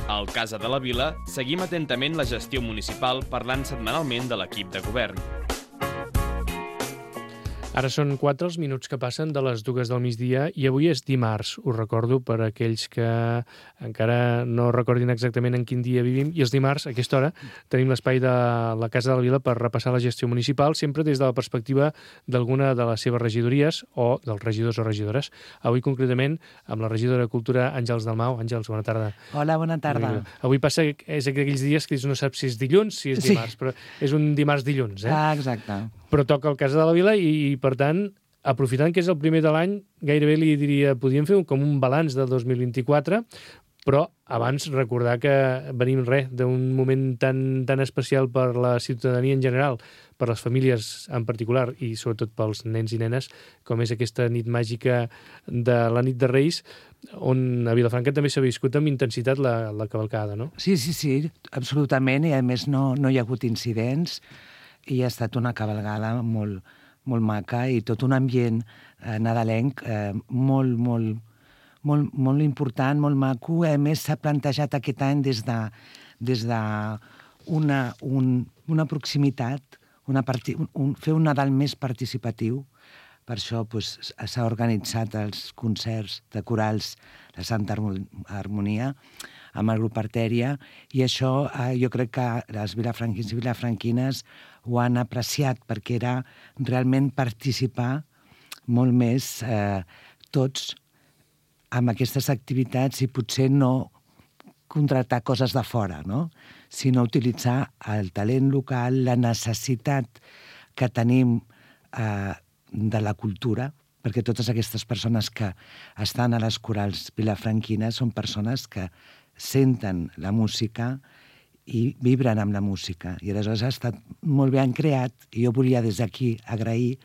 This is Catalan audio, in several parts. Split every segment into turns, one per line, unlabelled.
Al Casa de la Vila seguim atentament la gestió municipal parlant setmanalment de l'equip de govern.
Ara són 4 els minuts que passen de les 2 del migdia i avui és dimarts. Ho recordo per a aquells que encara no recordin exactament en quin dia vivim. I els dimarts, a aquesta hora, tenim l'espai de la Casa de la Vila per repassar la gestió municipal, sempre des de la perspectiva d'alguna de les seves regidories o dels regidors o regidores. Avui, concretament, amb la regidora de Cultura, Àngels Dalmau. Àngels, bona tarda.
Hola, bona tarda.
Avui passa, és aquells dies que no saps si és dilluns, si és dimarts, però és un dimarts dilluns, eh?
Ah, exacte.
Però toca el Casa de la Vila i per tant, aprofitant que és el primer de l'any, gairebé li diria, podríem fer com un balanç del 2024, però abans recordar que venim d'un moment tan especial per la ciutadania en general, per les famílies en particular i sobretot pels nens i nenes, com és aquesta nit màgica de la nit de Reis, on a Vilafranca també s'ha viscut amb intensitat la cavalcada, no?
Sí, absolutament, i a més no hi ha hagut incidents, i ha estat una cavalgada molt maca i tot un ambient nadalenc molt important, molt maco. A més, s'ha plantejat aquest any des d'una proximitat, fer un Nadal més participatiu. Per això s'ha organitzat els concerts de corals de Santa Harmonia amb el grup Artèria, i això jo crec que els vilafranquins i vilafranquines ho han apreciat, perquè era realment participar molt més tots amb aquestes activitats i potser no contractar coses de fora, no? Sinó utilitzar el talent local, la necessitat que tenim de la cultura, perquè totes aquestes persones que estan a les corals vilafranquines són persones que senten la música i vibren amb la música. I aleshores ha estat molt ben creat, i jo volia des d'aquí agrair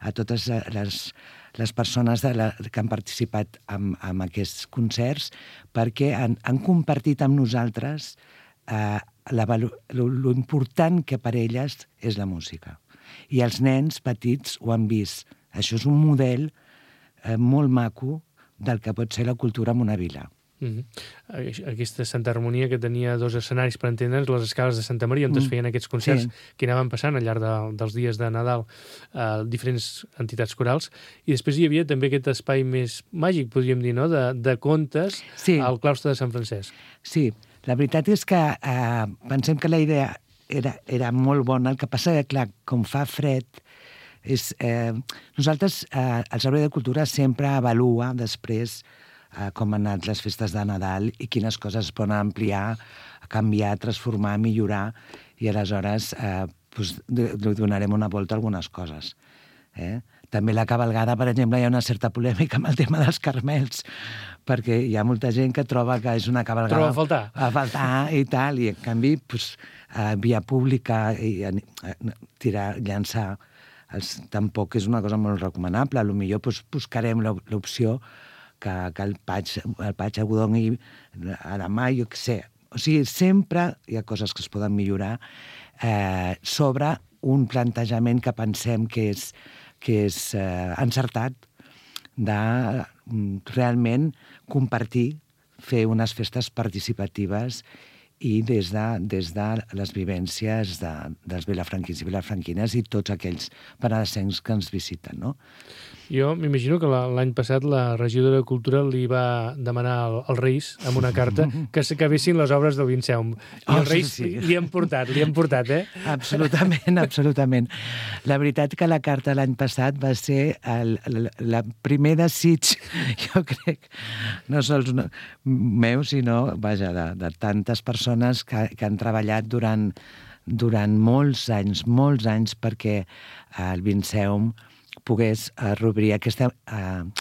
a totes les persones que han participat en aquests concerts, perquè han compartit amb nosaltres lo important que per elles és la música. I els nens petits ho han vist. Això és un model molt maco del que pot ser la cultura en una vila.
Aquesta Santa Harmonia que tenia 2 escenaris, per entendre'ns, les escales de Santa Maria, on es feien aquests concerts que anaven passant al llarg dels dies de Nadal a diferents entitats corals, i després hi havia també aquest espai més màgic, podríem dir, no?, de contes al claustre de Sant Francesc. Sí,
la veritat és que pensem que la idea era molt bona. El que passa que, clar, com fa fred, nosaltres, el Servei de Cultura sempre avalua després com han anat les festes de Nadal i quines coses es poden ampliar, canviar, transformar, millorar, i aleshores li donarem una volta a algunes coses. També la cavalgada, per exemple, hi ha una certa polèmica amb el tema dels carmels, perquè hi ha molta gent que troba que és una cavalgada...
Troba
a faltar i tal, i en canvi, via pública, llançar tampoc és una cosa molt recomanable. Potser buscarem l'opció que el Paig Agudongui a la mà, jo què sé. O sigui, sempre hi ha coses que es poden millorar sobre un plantejament que pensem que és encertat, de realment compartir, fer unes festes participatives i des de les vivències dels vilafranquins i vilafranquines i tots aquells penedesencs que ens visiten, no?
Jo m'imagino que l'any passat la regidora de Cultura li va demanar als Reis, amb una carta, que s'acabessin les obres del Vinceum. I els Reis li han portat,
Absolutament. La veritat que la carta l'any passat va ser el primer desig, jo crec, no sols meu, sinó, vaja, de tantes persones que han treballat durant molts anys perquè el Vinceum pogués reobrir aquesta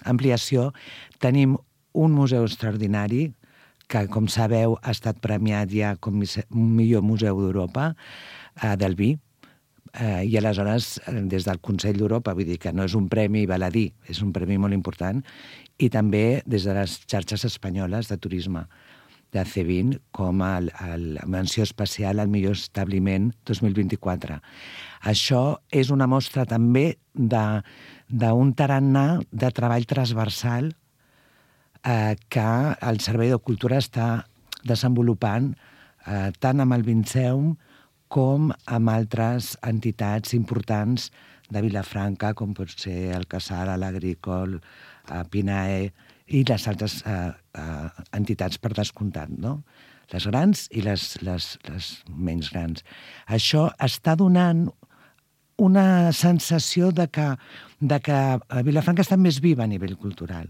ampliació. Tenim un museu extraordinari que, com sabeu, ha estat premiat ja com millor museu d'Europa, del vi, i aleshores, des del Consell d'Europa, vull dir que no és un premi baladí, és un premi molt important, i també des de les xarxes espanyoles de turisme de C20 com a la menció especial al millor establiment 2024. Això és una mostra també d'un tarannà de treball transversal que el Servei de Cultura està desenvolupant tant amb el Vinceum com amb altres entitats importants de Vilafranca, com pot ser el Casal, l'Agricol, Pinae i les altres entitats per descomptat, no? Les grans i les menys grans. Això està donant una sensació de que Vilafranca està més viva a nivell cultural.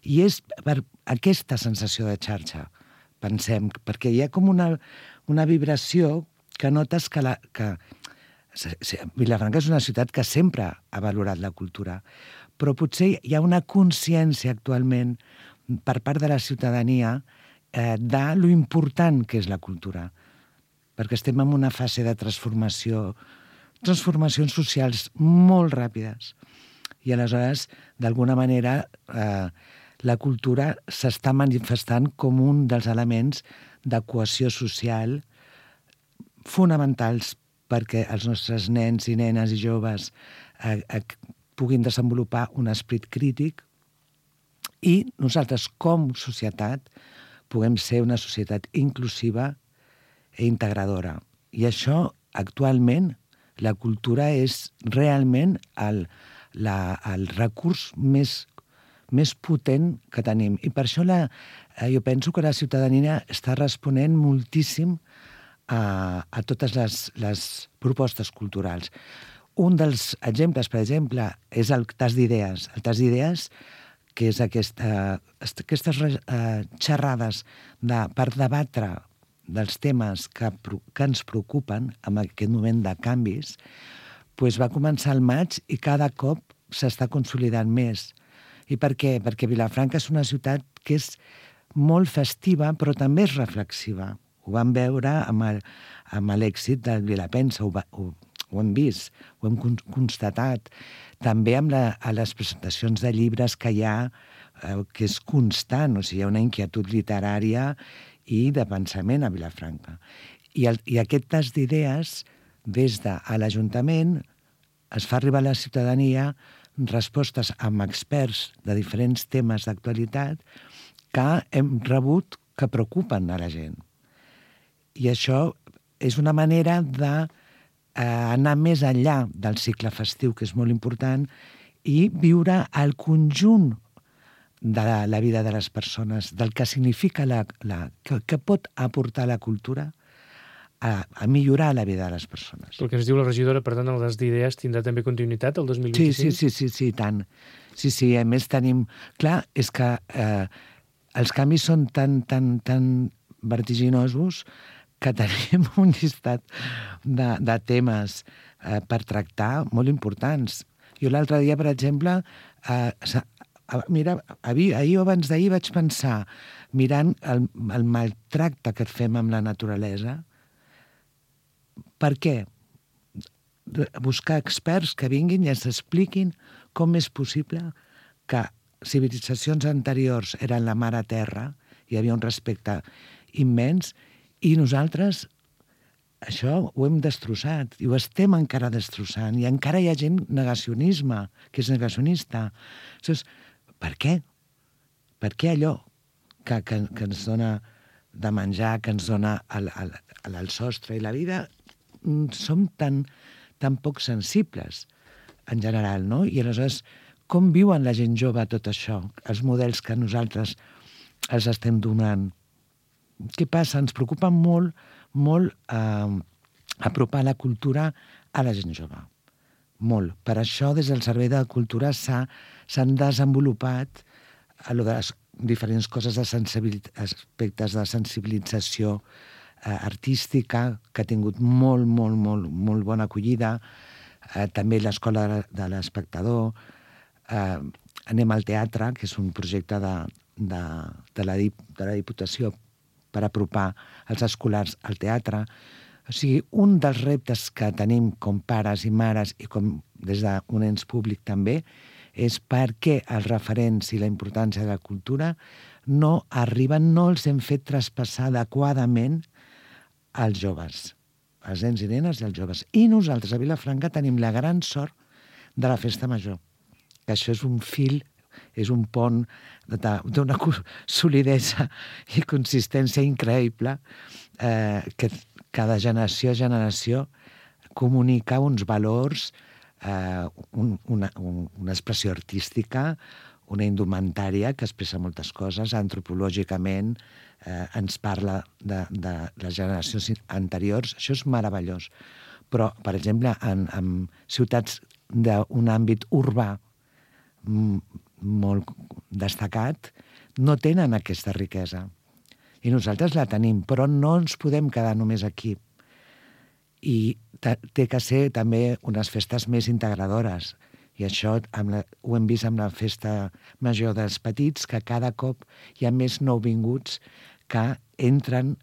I és per aquesta sensació de xarxa, pensem, perquè hi ha com una vibració que notes que Vilafranca és una ciutat que sempre ha valorat la cultura, però potser hi ha una consciència actualment per part de la ciutadania de lo important que és la cultura, perquè estem en una fase de transformacions socials molt ràpides. I aleshores, d'alguna manera, la cultura s'està manifestant com un dels elements de cohesió social fonamentals perquè els nostres nens i nenes i joves puguin desenvolupar un esperit crític i nosaltres, com societat, puguem ser una societat inclusiva i integradora. I això, actualment, la cultura és realment el recurs més potent que tenim. I per això jo penso que la ciutadania està responent moltíssim a totes les propostes culturals. Un dels exemples, per exemple, és el tas d'idees. El tas d'idees, que és aquestes xerrades per debatre dels temes que ens preocupen en aquest moment de canvis, doncs va començar al maig i cada cop s'està consolidant més. I per què? Perquè Vilafranca és una ciutat que és molt festiva, però també és reflexiva. Ho vam veure amb l'èxit del Vilapensa, ho hem vist, ho hem constatat. També amb les presentacions de llibres que hi ha, que és constant, o sigui, hi ha una inquietud literària i de pensament a Vilafranca. I aquest tas d'idees, des de l'Ajuntament, es fa arribar a la ciutadania respostes amb experts de diferents temes d'actualitat que hem rebut que preocupen a la gent. I això és una manera d'anar més enllà del cicle festiu, que és molt important, i viure el conjunt de la vida de les persones, del que significa que pot aportar la cultura a millorar la vida de les persones.
El que ens diu la regidora, per tant, el tas d'idees tindrà també continuïtat el 2025?
Sí, tant. Sí, a més tenim... Clar, és que els canvis són tan vertiginosos que tenim un llistat de temes per tractar molt importants. Jo l'altre dia, per exemple, ahir o abans d'ahir vaig pensar, mirant el maltracte que fem amb la naturalesa, per què? Buscar experts que vinguin i ens expliquin com és possible que civilitzacions anteriors eren la mare terra, hi havia un respecte immens, i nosaltres això ho hem destrossat, i ho estem encara destrossant, i encara hi ha gent negacionista. Llavors, per què? Per què allò que ens dona de menjar, que ens dona el sostre i la vida, som tan poc sensibles en general, no? I aleshores, com viuen la gent jove tot això? Els models que nosaltres els estem donant. Què passa? Ens preocupa molt apropar la cultura a la gent jove. Molt. Per això, des del Servei de Cultura s'han desenvolupat les diferents coses aspectes de sensibilització artística, que ha tingut molt bona acollida. També l'Escola de l'Espectador. Anem al teatre, que és un projecte de la Diputació per apropar els escolars al teatre. O sigui, un dels reptes que tenim com pares i mares i com des d'un ens públic també és perquè els referents i la importància de la cultura no arriben, no els hem fet traspassar adequadament als joves, als nens i nenes i als joves. I nosaltres a Vilafranca tenim la gran sort de la Festa Major, que això és un fil, és un pont d'una solidesa i consistència increïble que cada generació a generació comunica uns valors, una expressió artística, una indumentària que expressa moltes coses, antropològicament ens parla de les generacions anteriors. Això és meravellós. Però, per exemple, en ciutats d'un àmbit urbà molt destacat, no tenen aquesta riquesa. I nosaltres la tenim, però no ens podem quedar només aquí. I té que ser també unes festes més integradores. I això ho hem vist amb la festa major dels petits, que cada cop hi ha més nouvinguts que entren,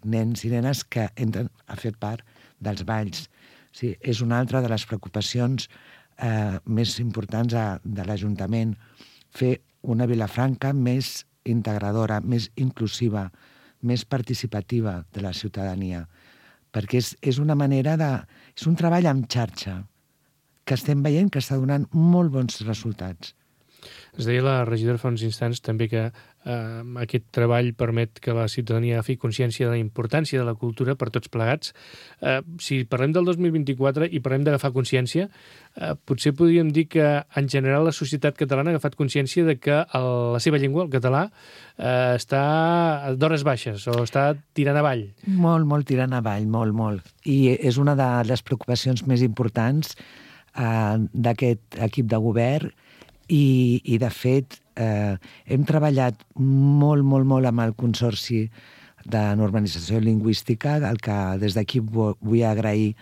nens i nenes que entren a fer part dels balls. Sí, és una altra de les preocupacions més importants de l'Ajuntament, fer una Vilafranca més integradora, més inclusiva, més participativa de la ciutadania, perquè és una manera és un treball en xarxa que estem veient que està donant molt bons resultats.
Es deia la regidora fa uns instants també que aquest treball permet que la ciutadania agafi consciència de la importància de la cultura per tots plegats. Si parlem del 2024 i parlem d'agafar consciència, potser podríem dir que en general la societat catalana ha agafat consciència de que la seva llengua, el català, està d'hores baixes o està tirant avall.
Molt tirant avall, molt. I és una de les preocupacions més importants d'aquest equip de govern i de fet, hem treballat molt amb el Consorci de Normalització Lingüística, al que des d'aquí vull agrair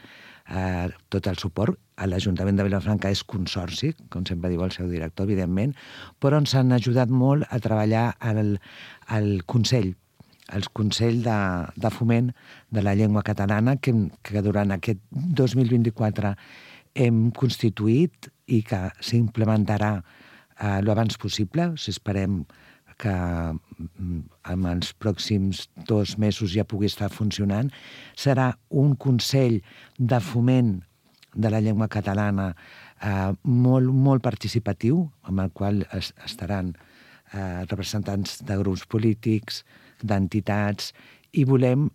tot el suport. L'Ajuntament de Vilafranca és consorci, com sempre diu el seu director, evidentment, però ens han ajudat molt a treballar al Consell, el Consell de Foment de la Llengua Catalana, que durant aquest 2024 hem constituït i que s'implementarà l'abans possible. Esperem que en els pròxims 2 mesos ja pugui estar funcionant. Serà un Consell de Foment de la Llengua Catalana molt participatiu, amb el qual estaran representants de grups polítics, d'entitats, i volem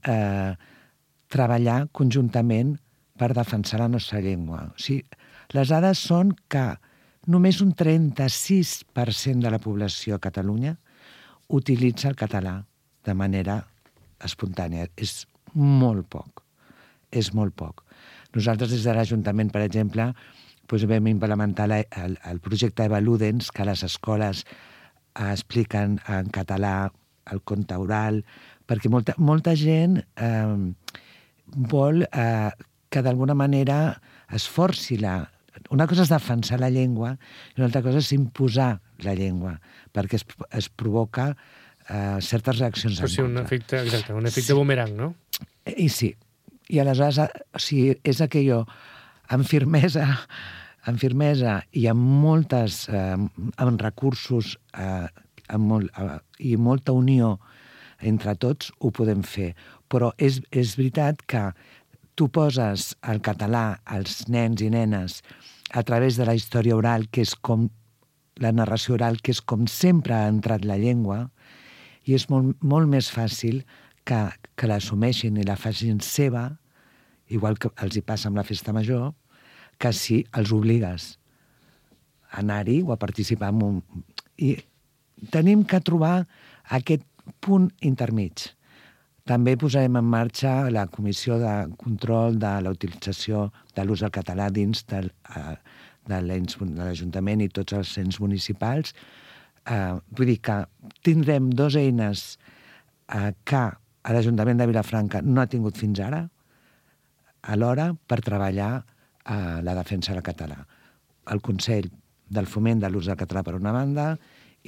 treballar conjuntament per defensar la nostra llengua. O sigui, les dades són que només un 36% de la població a Catalunya utilitza el català de manera espontània. És molt poc. Nosaltres des de l'Ajuntament, per exemple, vam implementar el projecte Eva Ludens, que a les escoles expliquen en català el conte oral, perquè molta gent vol que d'alguna manera es forci una cosa és defensar la llengua i una altra cosa és imposar la llengua, perquè es provoca certes reaccions en contra.
Un efecte boomerang, no?
I sí. I aleshores, és aquello amb firmesa i amb recursos i molta unió entre tots ho podem fer. Però és veritat que tu poses el català als nens i nenes a través de la història oral, que és com la narració oral, que és com sempre ha entrat la llengua, i és molt més fàcil que l'assumeixin i la facin seva, igual que els hi passa amb la festa major, que si els obligues a anar-hi o a participar en I tenim que trobar aquest punt intermig. També posarem en marxa la Comissió de Control de la Utilització de l'ús del català dins de l'Ajuntament i tots els ens municipals. Vull dir que tindrem 2 eines que l'Ajuntament de Vilafranca no ha tingut fins ara, alhora per treballar la defensa del català. El Consell del Foment de l'ús del català per una banda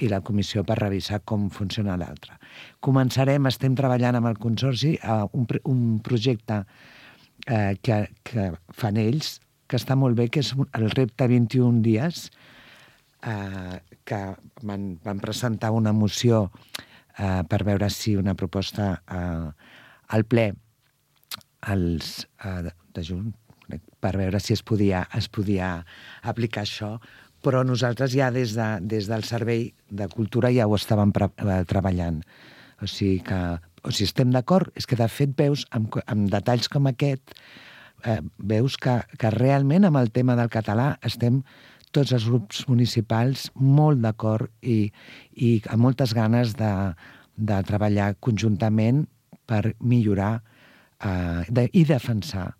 i la comissió per revisar com funciona l'altra. Estem treballant amb el Consorci un projecte que fan ells, que està molt bé, que és el repte 21 dies, que van presentar una moció per veure si una proposta al ple de juny, per veure si es podia aplicar això, però nosaltres ja des del Servei de Cultura ja ho estàvem treballant. O sigui, estem d'acord, és que de fet veus, amb detalls com aquest, veus que realment amb el tema del català estem tots els grups municipals molt d'acord i amb moltes ganes de treballar conjuntament per millorar i defensar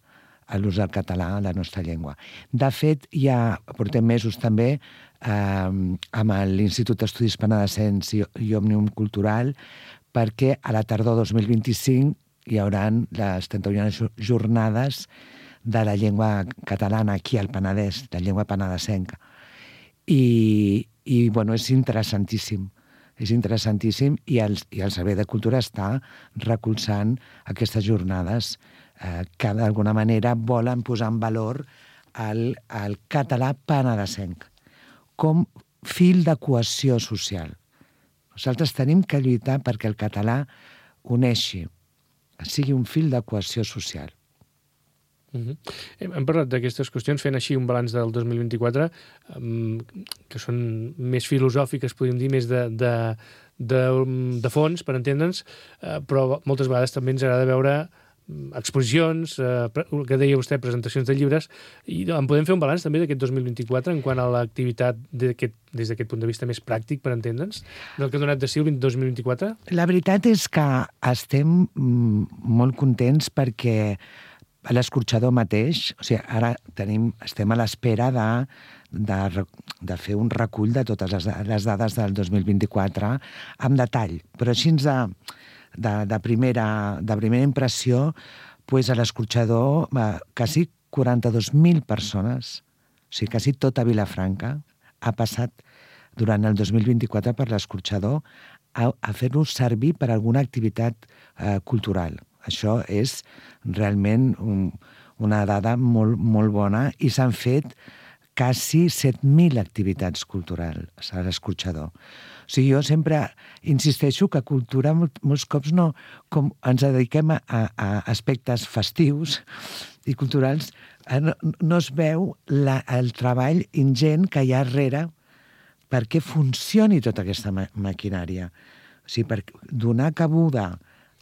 l'ús del català a la nostra llengua. De fet, ja portem mesos també amb l'Institut d'Estudis Penedesencs i Òmnium Cultural, perquè a la tardor 2025 hi haurà les 31 jornades de la llengua catalana aquí al Penedès, la llengua penedesenca. I bueno, és interessantíssim. És interessantíssim i el Servei de Cultura està recolzant aquestes jornades que d'alguna manera volen posar en valor el català penedesenc com fil de cohesió social. Nosaltres tenim que lluitar perquè el català uneixi, sigui un fil de cohesió social.
Hem parlat d'aquestes qüestions fent així un balanç del 2024 que són més filosòfiques, podríem dir, més de fons, per entendre'ns, però moltes vegades també ens agrada veure exposicions, el que deia vostè, presentacions de llibres, i en podem fer un balanç també d'aquest 2024 en quant a l'activitat des d'aquest punt de vista més pràctic, per entendre'ns, del que ha donat de si el 2024?
La veritat és que estem molt contents perquè a l'escorxador mateix, o sigui, ara estem a l'espera de fer un recull de totes les dades del 2024 amb detall, però així de primera impressió, pues a l'escorxador quasi 42.000 persones, o sigui, quasi tota Vilafranca ha passat durant el 2024 per l'escorxador a fer-lo servir per alguna activitat cultural. Això és realment una dada molt, molt bona i s'han fet quasi 7.000 activitats culturals a l'escorxador. O sigui, jo sempre insisteixo que cultura molts cops no, com ens dediquem a aspectes festius i culturals, no es veu el treball ingent que hi ha darrere perquè funcioni tota aquesta maquinària. O sigui, per donar cabuda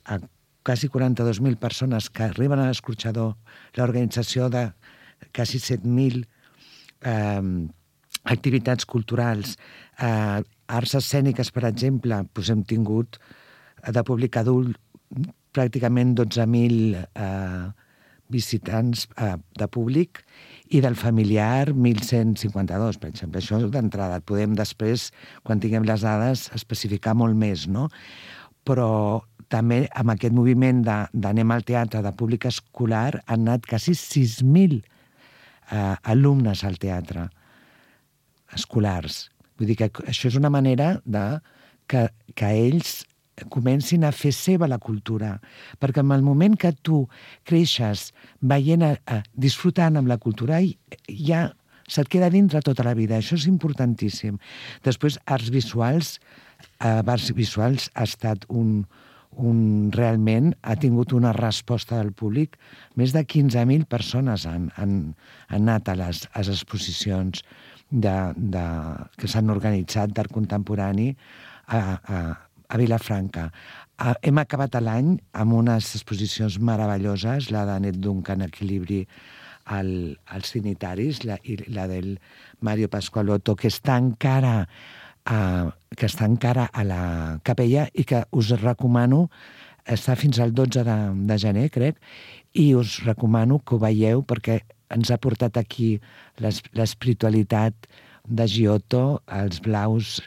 a quasi 42.000 persones que arriben a l'escorxador, l'organització de quasi 7.000 activitats culturals, arts escèniques, per exemple, doncs hem tingut de públic adult pràcticament 12.000 visitants de públic i del familiar 1.152, per exemple. Això d'entrada. Podem després, quan tinguem les dades, especificar molt més, no? Però també amb aquest moviment d'anem al teatre de públic escolar han anat quasi 6.000 alumnes al teatre escolars. Vull dir que això és una manera que ells comencin a fer seva la cultura. Perquè en el moment que tu creixes veient, disfrutant amb la cultura, ja se't queda dintre tota la vida. Això és importantíssim. Després, arts visuals ha estat realment ha tingut una resposta del públic. Més de 15.000 persones han anat a les exposicions que s'han organitzat d'art contemporani a Vilafranca. Hem acabat l'any amb unes exposicions meravelloses, la de Net Duncan, Equilibri als Trinitaris, i la del Mario Pasqualotto, que està encara a la capella i que us recomano, està fins al 12 de gener, crec, i us recomano que ho veieu perquè ens ha portat aquí l'espiritualitat de Giotto, els blaus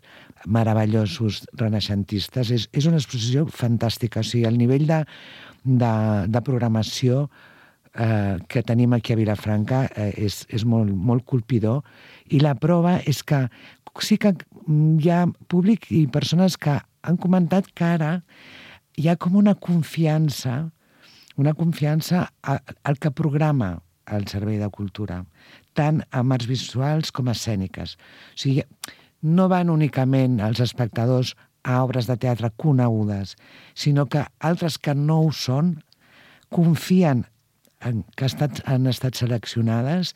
meravellosos renaixentistes. És una exposició fantàstica. O sigui, el nivell de programació que tenim aquí a Vilafranca és molt, molt colpidor, i la prova és que sí que hi ha públic i persones que han comentat que ara hi ha com una confiança al que programa el Servei de Cultura, tant amb arts visuals com escèniques. O sigui, no van únicament els espectadors a obres de teatre conegudes, sinó que altres que no ho són confien que han estat seleccionades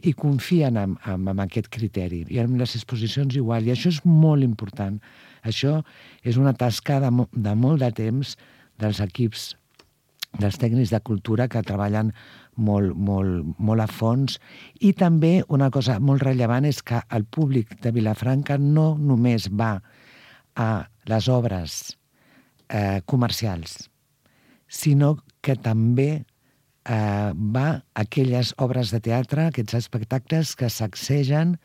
i confien en aquest criteri. I amb les exposicions igual. I això és molt important. Això és una tasca de molt de temps dels equips, dels tècnics de cultura que treballen molt a fons. I també una cosa molt rellevant és que el públic de Vilafranca no només va a les obres comercials, sinó que també va a aquelles obres de teatre, aquests espectacles que sacsegen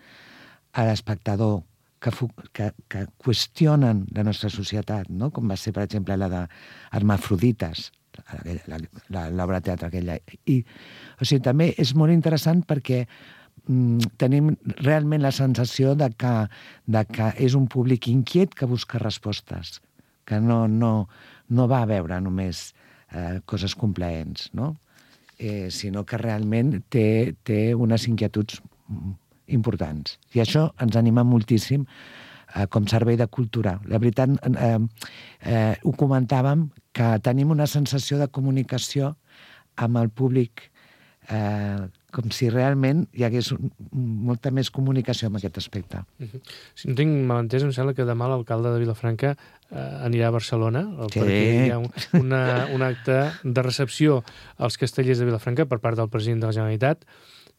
a l'espectador, que qüestionen la nostra societat, no? Com va ser, per exemple, la d'Hermafrodites, l'obra de teatre aquella. O sigui, també és molt interessant perquè tenim realment la sensació de que és un públic inquiet que busca respostes, que no va a veure només coses complaents, no? Sinó que realment té unes inquietuds importants. I això ens anima moltíssim com servei de cultura. La veritat, ho comentàvem, que tenim una sensació de comunicació amb el públic, com si realment hi hagués molta més comunicació en aquest aspecte.
Si no tinc mal entès, em sembla que demà l'alcalde de Vilafranca anirà a Barcelona, perquè hi ha un acte de recepció als castellers de Vilafranca per part del president de la Generalitat,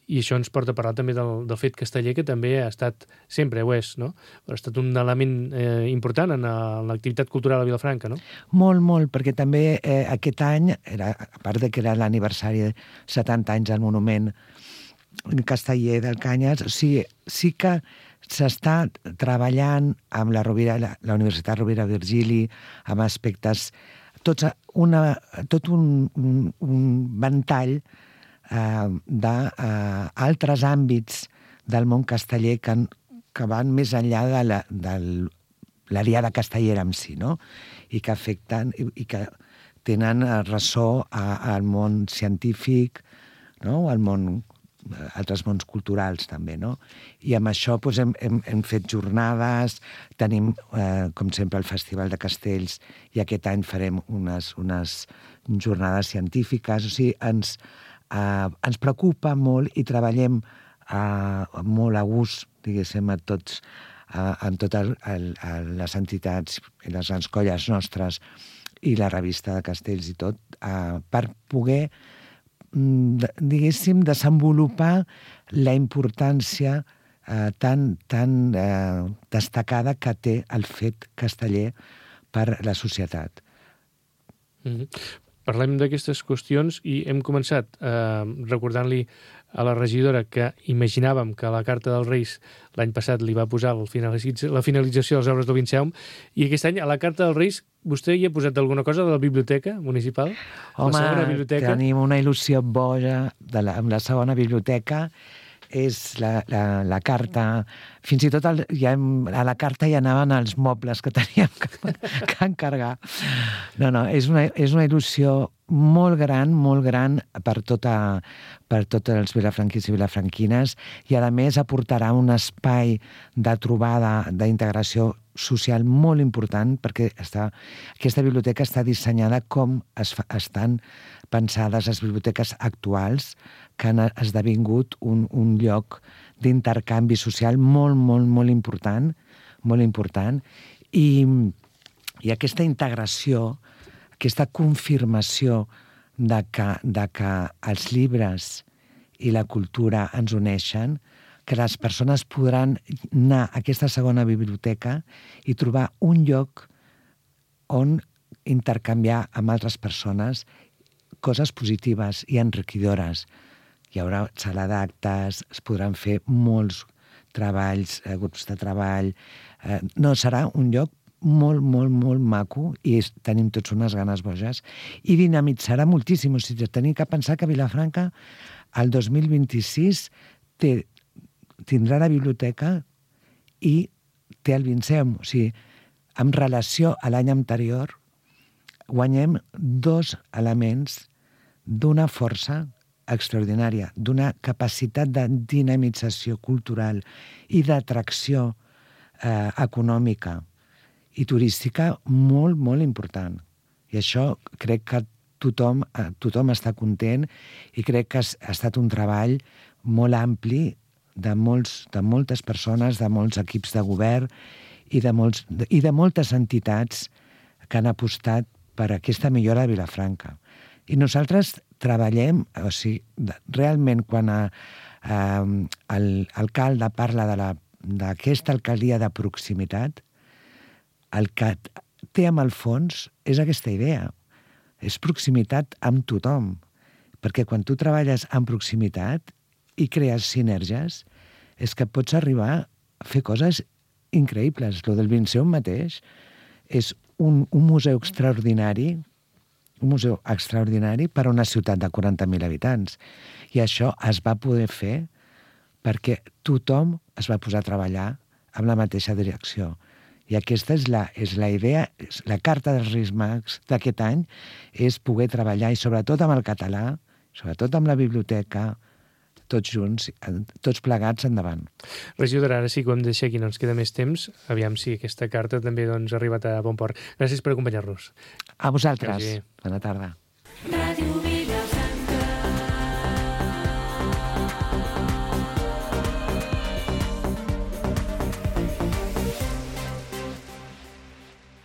i això ens porta a parlar també del fet casteller, que també ha estat, sempre ho és, no? Ha estat un element important en l'activitat cultural a Vilafranca, no?
Molt, molt, perquè també aquest any, a part de que era l'aniversari de 70 anys del monument casteller del Canyes, sí que s'està treballant amb la Universitat Rovira Virgili, amb aspectes, tot un ventall d'altres àmbits del món casteller que van més enllà de l'Ariada castellera en si, no? I que afecten i que tenen ressò al món científic, no? Altres mons culturals també, no? I amb això hem fet jornades, tenim, com sempre, el Festival de Castells, i aquest any farem unes jornades científiques. O sigui, ens preocupa molt i treballem molt a gust, diguéssim, en totes les entitats i les grans colles nostres i la revista de Castells i tot, per poder, diguéssim, desenvolupar la importància tan destacada que té el fet casteller per la societat.
Parlem d'aquestes qüestions i hem començat recordant-li a la regidora que imaginàvem que la Carta dels Reis l'any passat li va posar la finalització de les obres del Vinceum, i aquest any a la Carta dels Reis vostè hi ha posat alguna cosa de la biblioteca municipal?
Home, tenim una il·lusió boja amb la segona biblioteca. És la carta, fins i tot a la carta hi anaven els mobles que teníem que encargar. No, és una il·lusió molt gran per tots els vilafranquins i vilafranquines, i a més aportarà un espai de trobada, d'integració social molt important, perquè aquesta biblioteca està dissenyada com estan pensades les biblioteques actuals, que han esdevingut un lloc d'intercanvi social molt important, i aquesta integració, aquesta confirmació de que els llibres i la cultura ens uneixen, que les persones podran anar a aquesta segona biblioteca i trobar un lloc on intercanviar amb altres persones coses positives i enriquidores. Hi haurà sala d'actes, es podran fer molts treballs, grups de treball. No, serà un lloc molt maco, i tenim tots unes ganes boges, i dinamitzarà moltíssim. O sigui, tenim que pensar que Vilafranca el 2026 tindrà la biblioteca i té el Vinceum. O sigui, en relació a l'any anterior, guanyem 2 elements d'una força extraordinària, d'una capacitat de dinamització cultural i d'atracció econòmica i turística molt important. I això crec que tothom està content i crec que ha estat un treball molt ampli de moltes persones, de molts equips de govern i de moltes entitats que han apostat per aquesta millora de Vilafranca. I nosaltres treballem, o sigui, realment quan l'alcalde parla d'aquesta alcaldia de proximitat, el que té amb el fons és aquesta idea. És proximitat amb tothom. Perquè quan tu treballes en proximitat i crees sinergies, és que pots arribar a fer coses increïbles. Lo del Vinceum mateix és un museu extraordinari, per a una ciutat de 40.000 habitants. I això es va poder fer perquè tothom es va posar a treballar amb la mateixa direcció. I aquesta és la idea, la carta dels Reis Mags d'aquest any, és poder treballar, i sobretot amb el català, sobretot amb la biblioteca, tots junts, tots plegats endavant.
Regidor, ara sí que ho hem de deixar aquí, no ens queda més temps. Aviam si aquesta carta també ha arribat a bon port. Gràcies per acompanyar-nos.
A vosaltres. Bona tarda.